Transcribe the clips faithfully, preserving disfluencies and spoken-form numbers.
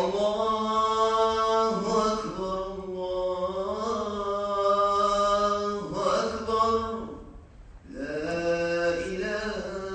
Allahu akbar, Allahu akbar, la ilaha illallah.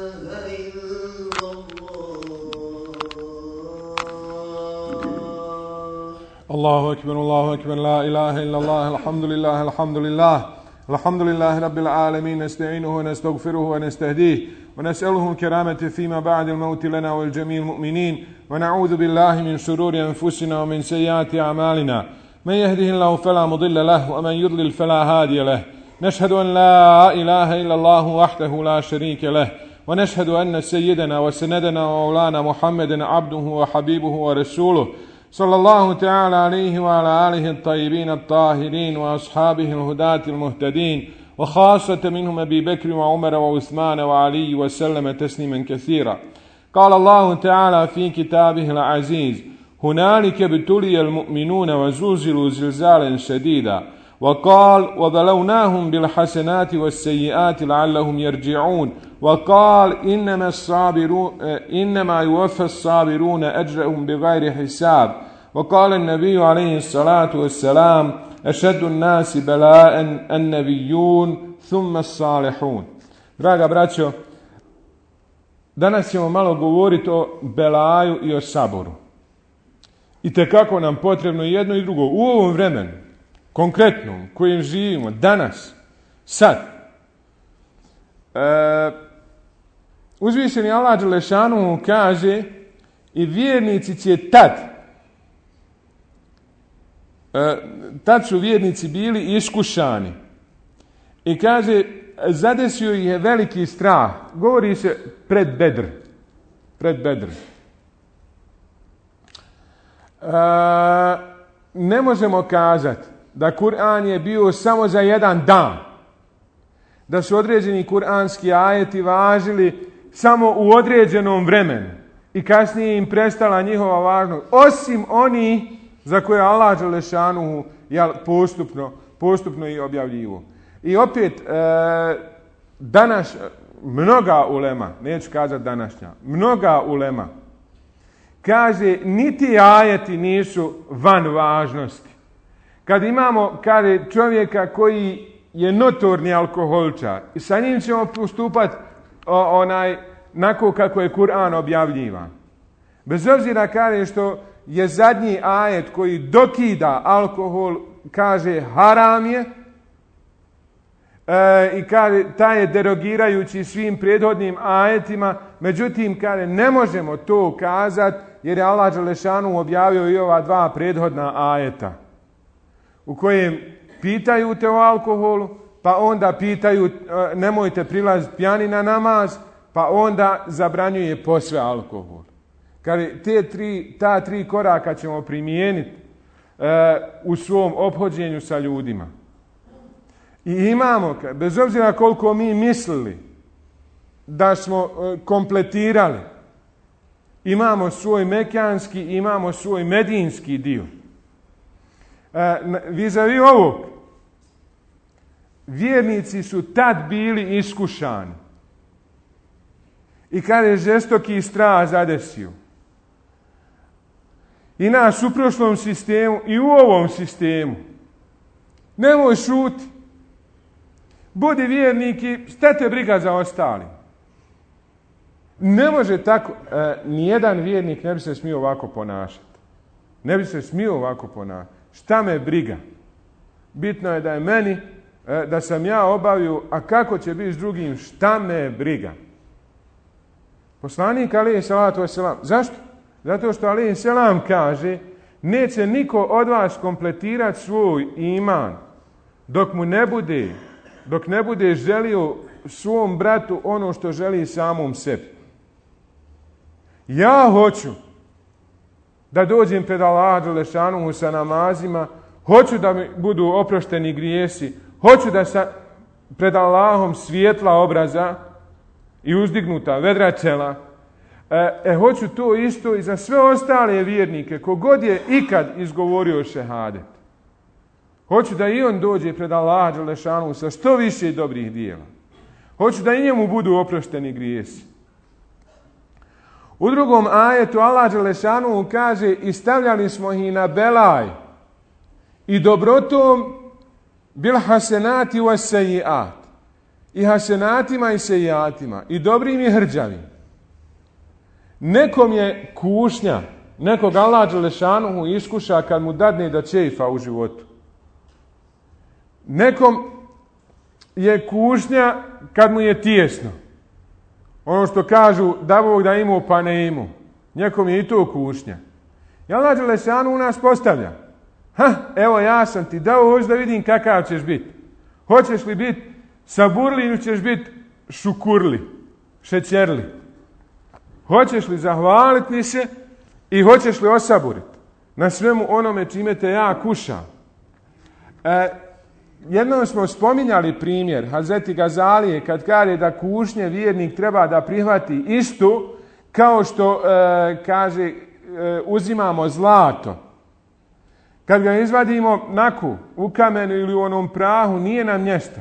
Allahu akbar, Allahu akbar, la ilaha illallah, alhamdulillah, alhamdulillah. الحمد لله رب العالمين نستعينه ونستغفره ونستهديه ونسأله الكرامة فيما بعد الموت لنا والجميع المؤمنين ونعوذ بالله من شرور أنفسنا ومن سيئات أعمالنا من يهده الله فلا مضل له ومن يضلل فلا هادي له نشهد أن لا إله إلا الله وحده لا شريك له ونشهد أن سيدنا وسندنا ومولانا محمدا عبده وحبيبه ورسوله صلى الله تعالى عليه وعلى آله الطيبين الطاهرين وأصحابه الهداة المهتدين وخاصة منهم أبي بكر وعمر وعثمان وعلي وسلم تسليما كثيرا. قال الله تعالى في كتابه العزيز هنالك ابتلي المؤمنون وزلزلوا زلزالا شديدا وقال وبلوناهم بالحسنات والسيئات لعلهم يرجعون وقال إنما الصابرون إنما يوفى الصابرون أجرهم بغير حساب وقال النبي عليه الصلاة والسلام أشد الناس بلاء النبيون ثم الصالحون. Draga braćo, danas ćemo malo govoriti o belaju i o saboru. I tekako nam potrebno jedno i drugo u ovom vremenu, konkretno u kojem živimo, danas, sad. E, uzvišeni Allah dželešanu kaže i vjernici će tad, e, tad su vjernici bili iskušani. I kaže, zadesio ih je veliki strah. Govori se pred Bedr. Pred Bedr. E, ne možemo kazati da Kur'an je bio samo za jedan dan. Da su određeni kuranski ajeti važili samo u određenom vremenu i kasnije im prestala njihova važnost. Osim oni za koje Allah dželešanu postupno, postupno i objavljivo. I opet, e, danas mnoga ulema, neću kazati današnja, mnoga ulema kaže niti ajeti nisu van važnosti. Kad imamo kaže, čovjeka koji je notorni alkoholčar i sa njim ćemo postupati onaj nako kako je Kur'an objavljivan. Bez obzira kaže što je zadnji ajet koji dokida alkohol, kaže haram je, e, i kaže taj je derogirajući svim prethodnim ajetima, međutim kaže ne možemo to kazati jer je Allah dželešanu objavio i ova dva prethodna ajeta u kojem pitaju te o alkoholu, pa onda pitaju nemojte prilaziti pijani na namaz, pa onda zabranjuje posve alkohol. Kaže, te tri, ta tri koraka ćemo primijeniti e, u svom ophođenju sa ljudima. I imamo, bez obzira koliko mi mislili da smo e, kompletirali, imamo svoj mekanski, imamo svoj medinski dio. E, vis-a-vis ovog, vjernici su tad bili iskušani. I kada je žestoki strah zadesio. I nas u prošlom sistemu i u ovom sistemu. Nemoj šuti. Budi vjernik i stete briga za ostali. Ne može tako, e, nijedan vjernik ne bi se smio ovako ponašati. Ne bi se smio ovako ponašati. Šta me briga? Bitno je da je meni, e, da sam ja obavio, a kako će biti s drugim, šta me briga? Poslanik alejhi salatu vesselam. Zašto? Zato što alejhi selam kaže neće niko od vas kompletirati svoj iman dok mu ne bude, dok ne bude želio svom bratu ono što želi samom sebi. Ja hoću da dođem pred Allaha dželešanuhu sa namazima, hoću da mi budu oprošteni grijesi, hoću da sa pred Allahom svijetla obraza i uzdignuta vedra čela. E, e, hoću to isto i za sve ostale vjernike, kogod je ikad izgovorio šehadet. Hoću da i on dođe pred Allaha dželešanu sa što više dobrih dijela. Hoću da i njemu budu oprošteni grijesi. U drugom ajetu Allah dželešanu kaže i stavljali smo ih na belaj i dobrotom bil hasenati wa sejiat. I hasenatima i sejiatima. I dobrim i hrđavim. Nekom je kušnja, nekog Allah dželešanu iskuša kad mu dadne da čefa u životu. Nekom je kušnja kad mu je tijesno. Ono što kažu da Bog da imao pa ne imao. Nekom je i to kušnja. I Allah dželešanu u nas postavlja. Ha, evo ja sam ti dao, hoću da vidim kakav ćeš biti. Hoćeš li biti saburli ili ćeš biti šukurli, šećerli. Hoćeš li zahvaliti mi se i hoćeš li osaburiti na svemu onome čime te ja kušam. E, jednom smo spominjali primjer Hazreti Gazalije kad kaže da kušnje vjernik treba da prihvati istu kao što e, kaže e, uzimamo zlato. Kad ga izvadimo naku, u kamenu ili u onom prahu, nije nam mjesta.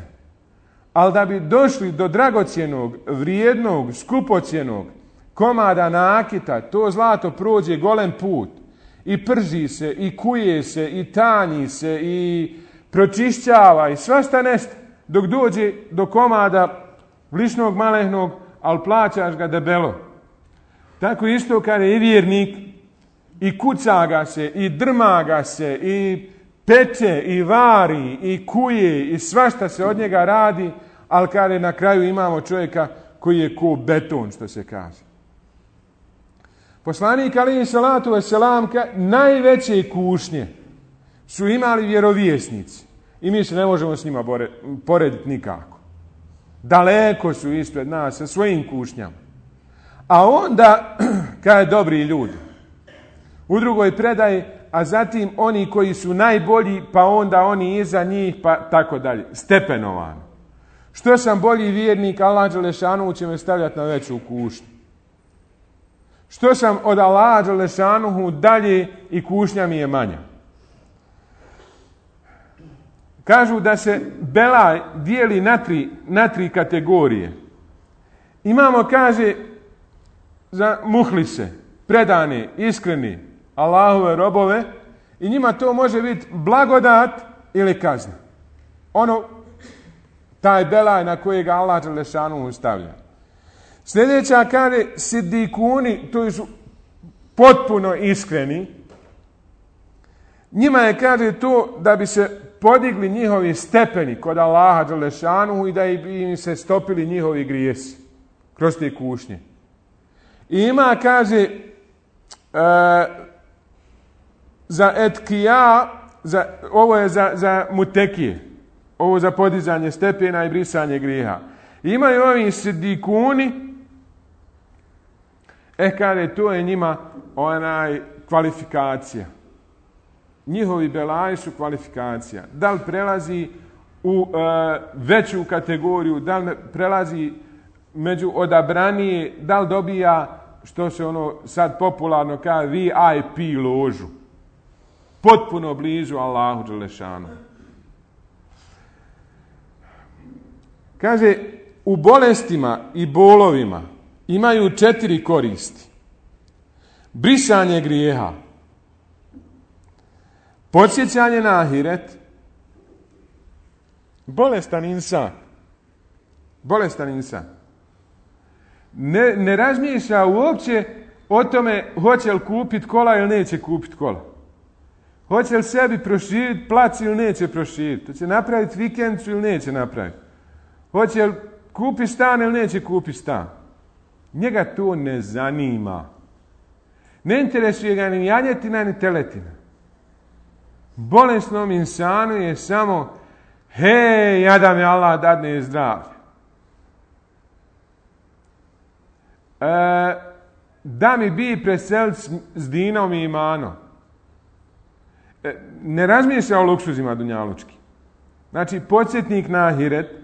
Ali da bi došli do dragocjenog, vrijednog, skupocjenog komada nakita, to zlato prođe golem put. I prži se, i kuje se, i tanji se, i pročišćava, i svašta nešto. Dok dođe do komada vlišnog, malehnog, ali plaćaš ga debelo. Tako isto kada je i vjernik, i kuca ga se, i drma ga se, i peče, i vari, i kuje, i svašta se od njega radi, ali kada na kraju imamo čovjeka koji je ko beton, što se kaže. Poslanik alejhi salatu vesselam najveće kušnje su imali vjerovjesnici. I mi se ne možemo s njima bore, porediti nikako. Daleko su ispred nas sa svojim kušnjama. A onda, kada je dobri ljudi, u drugoj predaji, a zatim oni koji su najbolji, pa onda oni iza njih, pa tako dalje. Stepenovano. Što sam bolji vjernik, Allah dželešanu će me stavljati na veću kušnju. Što sam od Allaha dželešanuhu dalje i kušnja mi je manja. Kažu da se belaj dijeli na tri, na tri kategorije. Imamo, kaže, za muhlise, predane, iskreni, Allahove robove, i njima to može biti blagodat ili kazna. Ono, taj belaj na kojega Allah dželešanuhu stavlja. Sljedeća kaže sidikuni, to su potpuno iskreni. Njima je, kaže, to da bi se podigli njihovi stepeni kod Allaha dželešanuhu i da bi im se stopili njihovi grijesi kroz te kušnje. I ima, kaže, e, za etkija, za, ovo je za, za mutekije, ovo za podizanje stepena i brisanje grijeha. I imaju ovi sidikuni, e, kaže, to je njima onaj kvalifikacija. Njihovi belaji su kvalifikacija. Da li prelazi u e, veću kategoriju, da li prelazi među odabranije, da li dobija, što se ono sad popularno kaže, V I P ložu. Potpuno blizu Allahu dželešanu. Kaže, u bolestima i bolovima imaju četiri koristi. Brisanje grijeha, podsjećanje na ahiret, bolestan insan, bolestan insan, ne, ne razmišlja uopće o tome hoće li kupiti kola ili neće kupiti kola. Hoće li sebi proširiti plac ili neće proširiti. Hoće napraviti vikendicu ili neće napraviti. Hoće li kupiti stan ili neće kupiti stan. Njega to ne zanima. Ne interesuje ga ni janjetina ni teletina. Bolesnom insanu je samo hej, ja da mi Allah dadne zdravlje. E, da mi bi preselit s dinom i imanom. E, ne razmišlja o luksuzima dunjalučki. Znači, podsjetnik na ahiret.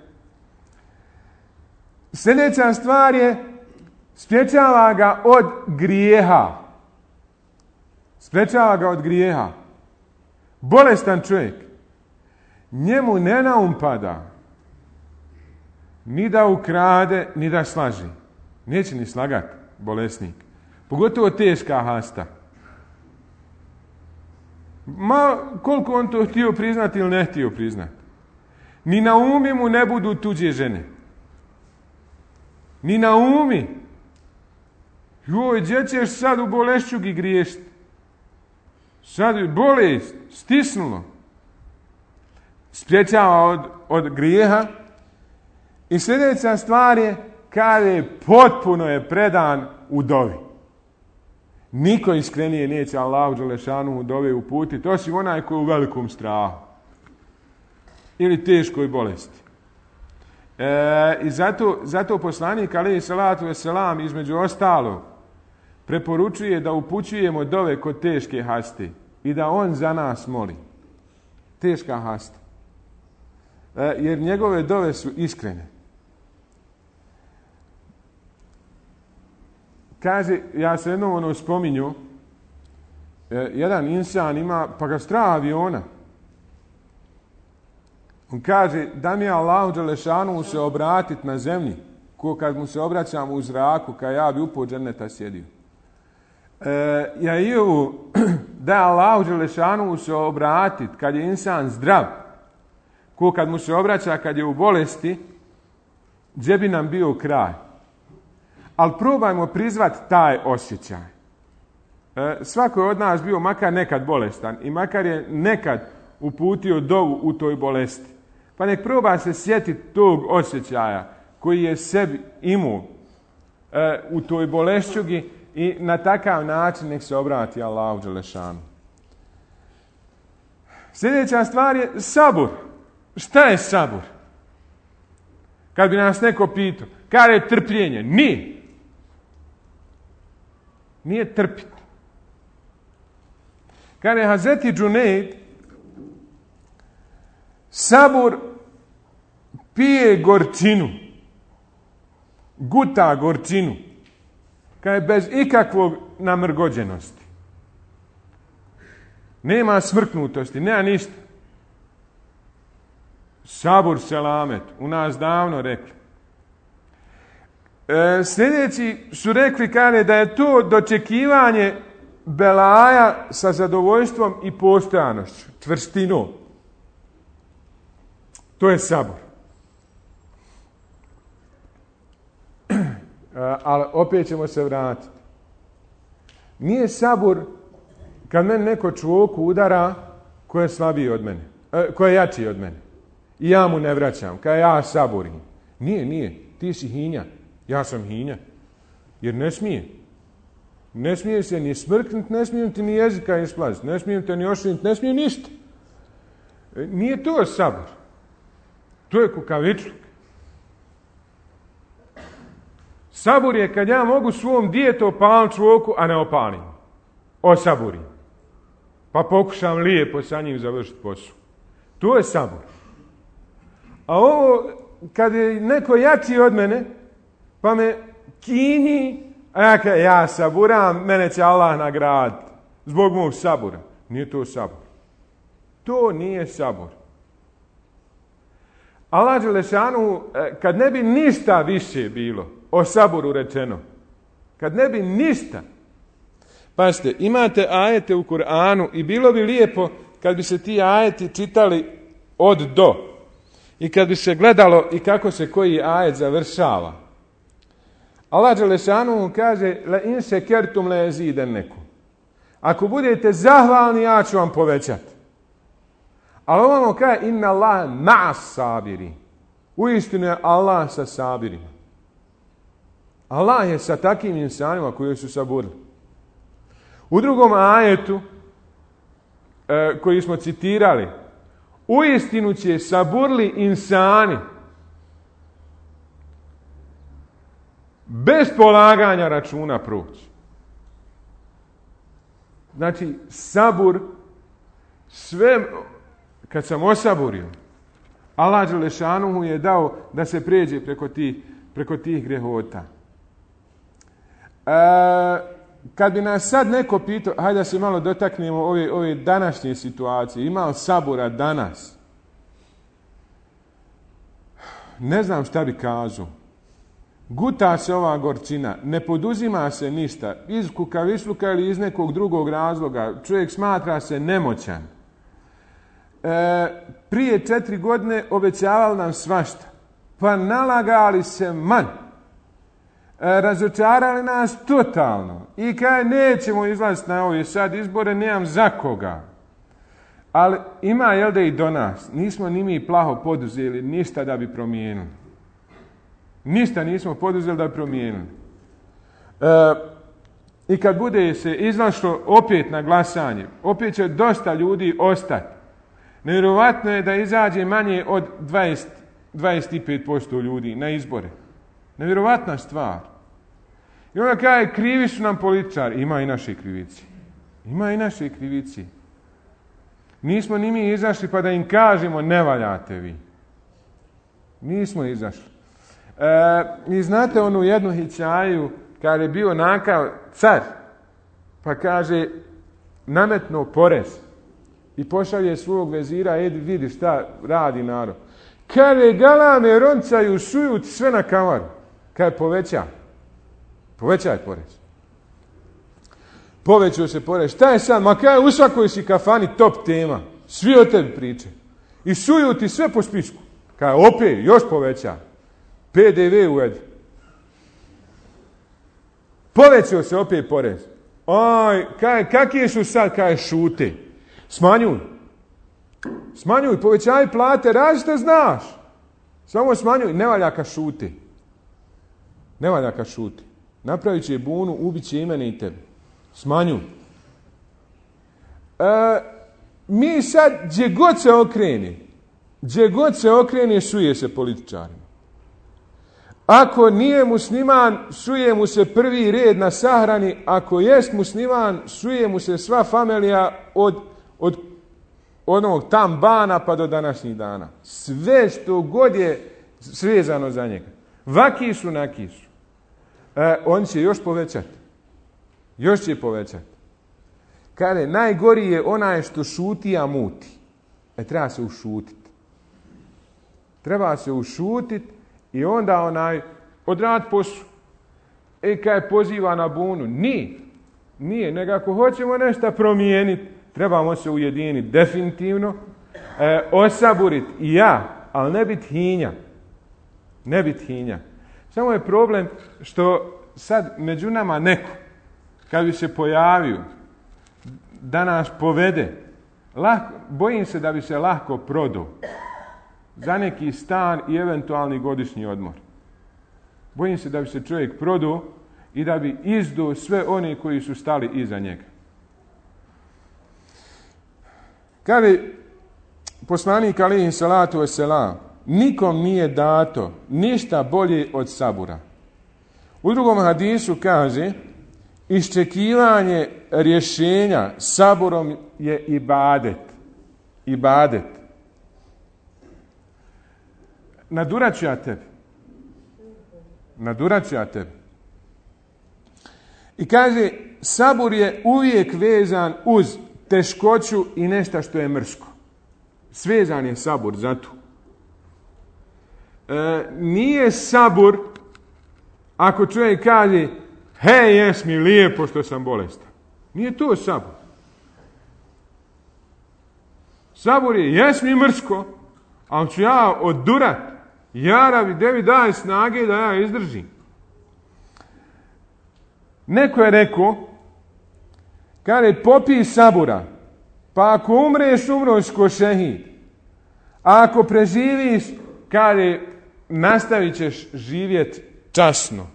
Sljedeća stvar je sprječava ga od grijeha. Sprječava ga od grijeha. Bolestan čovjek, njemu ne naumpada ni da ukrade, ni da slaži. Neće ni slagati, bolesnik. Pogotovo teška hasta. Ma koliko on to htio priznati ili ne htio priznati. Ni na umi mu ne budu tuđe žene. Ni na umi. Joj, gdje ćeš sad u bolešćugi griješiti? Sad bolest, stisnulo. Spriječava od, od grijeha. I sljedeća stvar je, kaže, potpuno je predan u dovi. Niko iskrenije neće Allahu dželešanu u dove uputiti, osim onaj koji je u velikom strahu. Ili teškoj bolesti. E, I zato, zato poslanik alejhi salatu vesselam između ostalog preporučuje da upućujemo dove kod teške haste i da on za nas moli. Teška hasta. E, jer njegove dove su iskrene. Kaže, ja se jednom ono spominju, e, jedan insan ima, pa ga strah aviona. On kaže, da mi je Allahu dželešanu se obratiti na zemlji, ko kad mu se obraćam u zraku, kad ja bi upao dženeta sjedio. E, ja i ovu, da je Allahu dželešanu se obratiti kad je insan zdrav, ko kad mu se obraća kad je u bolesti, gdje bi nam bio kraj. Ali probajmo prizvati taj osjećaj. E, svako je od nas bio makar nekad bolestan i makar je nekad uputio dovu u toj bolesti. Pa nek proba se sjetiti tog osjećaja koji je sebi imao e, u toj bolešćugi i na takav način nek se obrati Allahu dželešanu. Sljedeća stvar je sabur. Šta je sabur? Kad bi nas neko pitao, kada je trpljenje? Nije. Nije trpiti. Kada je Hazreti Džunejd, sabur pije gorčinu, guta gorčinu, kada je bez ikakvog namrgođenosti. Nema smrknutosti, nema ništa. Sabur selamet, u nas davno rekli. E, sljedeći su rekli kane da je to dočekivanje belaja sa zadovoljstvom i postojanošću, čvrstinom. To je sabur. E, ali opet ćemo se vratiti. Nije sabur kad meni neko čvoku udara ko je slabiji od mene, e, ko je jači od mene. I ja mu ne vraćam, kada ja saburim. Nije, nije, ti si hinja. Ja sam hinja. Jer ne smije. Ne smije se ni smrknuti, ne smijem ti ni jezika isplaziti, ne smijem te ni ošiniti, ne smije ništa. Nije to sabor. To je kukavičluk. Sabor je kad ja mogu svom djetu opaliti čvoku, a ne opalim. Osaburim. Pa pokušam lijepo sa njim završiti posao. To je sabor. A ovo, kad je neko jači od mene, pa me kinji, a ja kaj, ja saburam, mene će Allah nagraditi zbog mog sabura. Nije to sabor. To nije sabor. Allah dželešanu, kad ne bi ništa više bilo o saboru rečeno, kad ne bi ništa, pazite, imate ajete u Kur'anu i bilo bi lijepo kad bi se ti ajeti čitali od do. I kad bi se gledalo i kako se koji ajet završava. Allah dželešanu kaže la in šekertum le jezidennekum. Ako budete zahvalni, ja ću vam povećati. Ali ovamo kaže inna Allah ma'as sabiri. Uistinu je Allah sa sabirima. Allah je sa takim insanima koji su saburili. U drugom ajetu e, koji smo citirali, uistinu će saburli insani bez polaganja računa proći. Znači, sabur, sve, kad sam osaburio, Allah dželešanuhu je dao da se pređe preko tih, preko tih grehota. E, kad bi nas sad neko pitao, hajde da se malo dotaknemo ove, ove današnje situacije, ima li sabura danas? Ne znam šta bi kazao. guta se ova gorčina, ne poduzima se ništa, iz kukavičluka ili iz nekog drugog razloga, čovjek smatra se nemoćan. E, prije četiri godine obećavali nam svašta, pa nalagali se man. E, razočarali nas totalno i kaj nećemo izlaziti na ove sad izbore, nemam za koga. Ali ima, jel da i do nas, nismo ni mi plaho poduzeli ništa da bi promijenili. Ništa nismo poduzeli da bi promijenili. E, I kad bude se izašlo opet na glasanje, opet će dosta ljudi ostati. Nevjerovatno je da izađe manje od dvadeset do dvadeset pet posto ljudi na izbore. Nevjerovatna stvar. I onda kaže, krivi su nam političari. Ima i naše krivici. Ima i naše krivici. Nismo ni mi izašli pa da im kažemo ne valjate vi. Nismo izašli. E, I znate onu jednu hikaju kad je bio nakav car, pa kaže nametno porez i pošalje svog vezira, edi vidi šta radi narod. Kaže galame roncaju šuju sve na kamaru. Kaže poveća. Povećaj porez. Povećao se porez. Šta je sad? Ma kaže u svakoj si kafani top tema. Svi o tebi priče. I suju ti sve po spisku. Kaže opet još poveća. P D V uvedi. Povećao se opet porez. Aj, kaj, kakije su sad, kaj šute? Smanjuj. Smanjuj, povećaj plate, radi što znaš. Samo smanjuj, ne valja ka šute. Ne valja ka šute. Napravit će bunu, ubit će i mene i tebe. Smanjuj. E, mi sad, gdje god se okrene, gdje god se okrene, suje se političarima. Ako nije musliman, suje mu se prvi red na sahrani. Ako jest musliman, suje mu se sva familija od, od onog tam bana pa do današnjih dana. Sve što god je svezano za njega. Vaki su, naki su. E, on će još povećati. Još će povećati. Kaže, najgori je onaj što šuti, a muti. E, treba se ušutiti. Treba se ušutiti i onda onaj odrad poslu. E, kaj poziva na bunu? Nije. Nije. Nego ako hoćemo nešto promijeniti, trebamo se ujediniti definitivno, e, osaburiti i ja, ali ne biti hinja. Ne biti hinja. Samo je problem što sad među nama neko, kad bi se pojavio, da nas povede, lahko, bojim se da bi se lahko prodao za neki stan i eventualni godišnji odmor. Bojim se da bi se čovjek prodao i da bi izdao sve one koji su stali iza njega. Kaže poslanik alejhi salatu vesselam, nikom nije dato ništa bolje od sabura. U drugom hadisu kaže, iščekivanje rješenja saburom je ibadet. Ibadet. Nadurat ću ja tebi. Nadurat ću ja tebi. I kaže, sabur je uvijek vezan uz teškoću i nešto što je mrsko. Svezan je sabur za to. E, nije sabur ako čovjek kaže, hej, jes mi lijepo što sam bolestan. Nije to sabur. Sabur je, jes mi mrsko, ali ću ja odurat. Jarabi, devi daje snage da ja izdržim. Neko je rekao, kaže, popij sabura, pa ako umreš, umroš ko šehid. A ako preživiš, kaže, nastavit ćeš živjeti časno.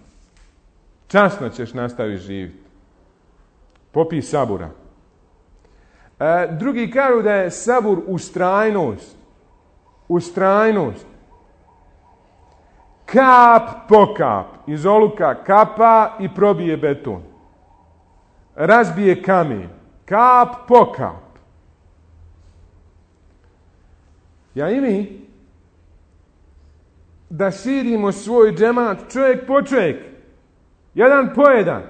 Časno ćeš nastaviti živjeti. Popij sabura. E, drugi kažu da je sabur ustrajnost. Ustrajnost. Kap po kap. Iz oluka kapa i probije beton. Razbije kamen. Kap po kap. Ja i mi da širimo svoj džemat čovjek po čovjek. Jedan po jedan.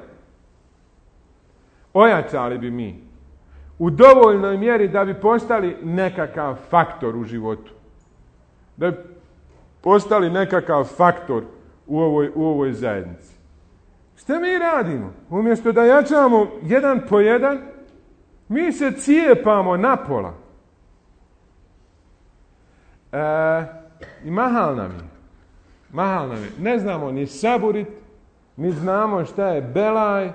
Ojačali bi mi. U dovoljnoj mjeri da bi postali nekakav faktor u životu. Da bi postali nekakav faktor u ovoj, u ovoj zajednici. Šta mi radimo? Umjesto da jačamo jedan po jedan, mi se cijepamo napola. E, I mahal nam je. Mahal nam je. Ne znamo ni saburit, ni znamo šta je belaj,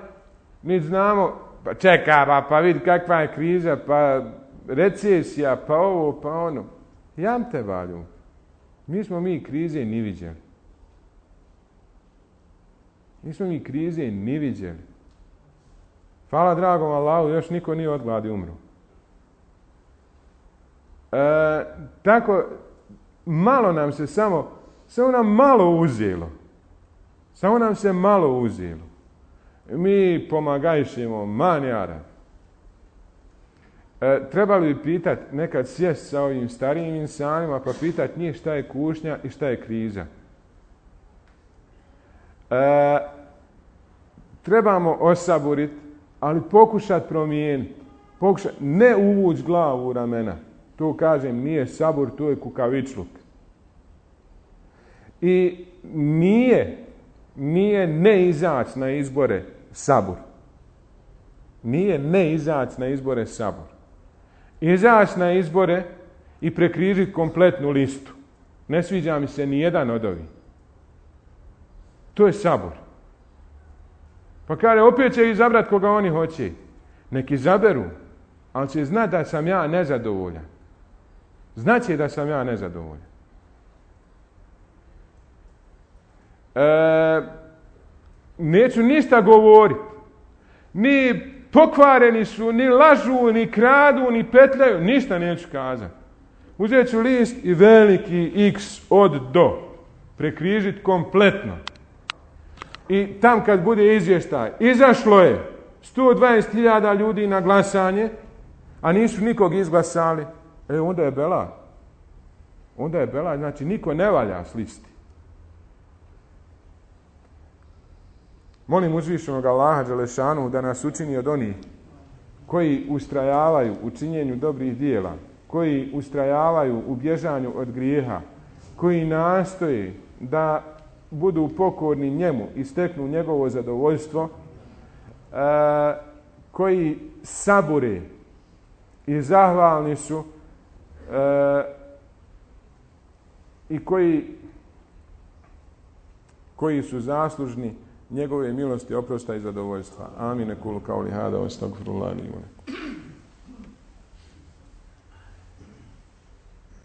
ni znamo, pa čeka, pa, pa vidi kakva je kriza, pa recesija, pa ovo, pa ono. Jam te valju. Mi smo mi krize ni viđeli. Nismo mi krize ni viđeli. Hvala dragom Allahu, još niko nije od gladi umro. E, tako, malo nam se samo, samo nam malo uzelo. Samo nam se malo uzelo. Mi pomagajšemo manjara. E, trebali bi pitati, nekad sjest sa ovim starijim insanima, pa pitati njih šta je kušnja i šta je kriza. E, trebamo osaburiti, ali pokušati promijeniti. Pokušati, ne uvući glavu u ramena. Tu kažem, nije sabur, tu je kukavičluk. I nije, nije ne izaći na izbore sabur. Nije ne izaći na izbore sabur. Izaći na izbore i prekrižiti kompletnu listu. Ne sviđa mi se ni jedan od ovih. To je sabor. Pa kaže, opet će izabrati koga oni hoće. Nek izaberu, ali će znati da sam ja nezadovoljan. Znaće da sam ja nezadovoljan. E, neću ništa govoriti. Ni pokvareni su, ni lažu, ni kradu, ni petljaju. Ništa neću kazati. Uzet ću list i veliki X od do. Prekrižiti kompletno. I tam kad bude izvještaj, izašlo je sto dvadeset hiljada ljudi na glasanje, a nisu nikog izglasali, e onda je bela. Onda je bela, znači niko ne valja s listi. Molim uzvišenog Allaha Đelešanu da nas učini od onih koji ustrajavaju u činjenju dobrih dijela, koji ustrajavaju u bježanju od grijeha, koji nastoje da budu pokorni njemu i steknu njegovo zadovoljstvo, e, koji sabure i zahvalni su e, i koji, koji su zaslužni njegove milosti, oprosta i zadovoljstva. Amin. Kulu kauli hada, astagfirullah li wa lakum.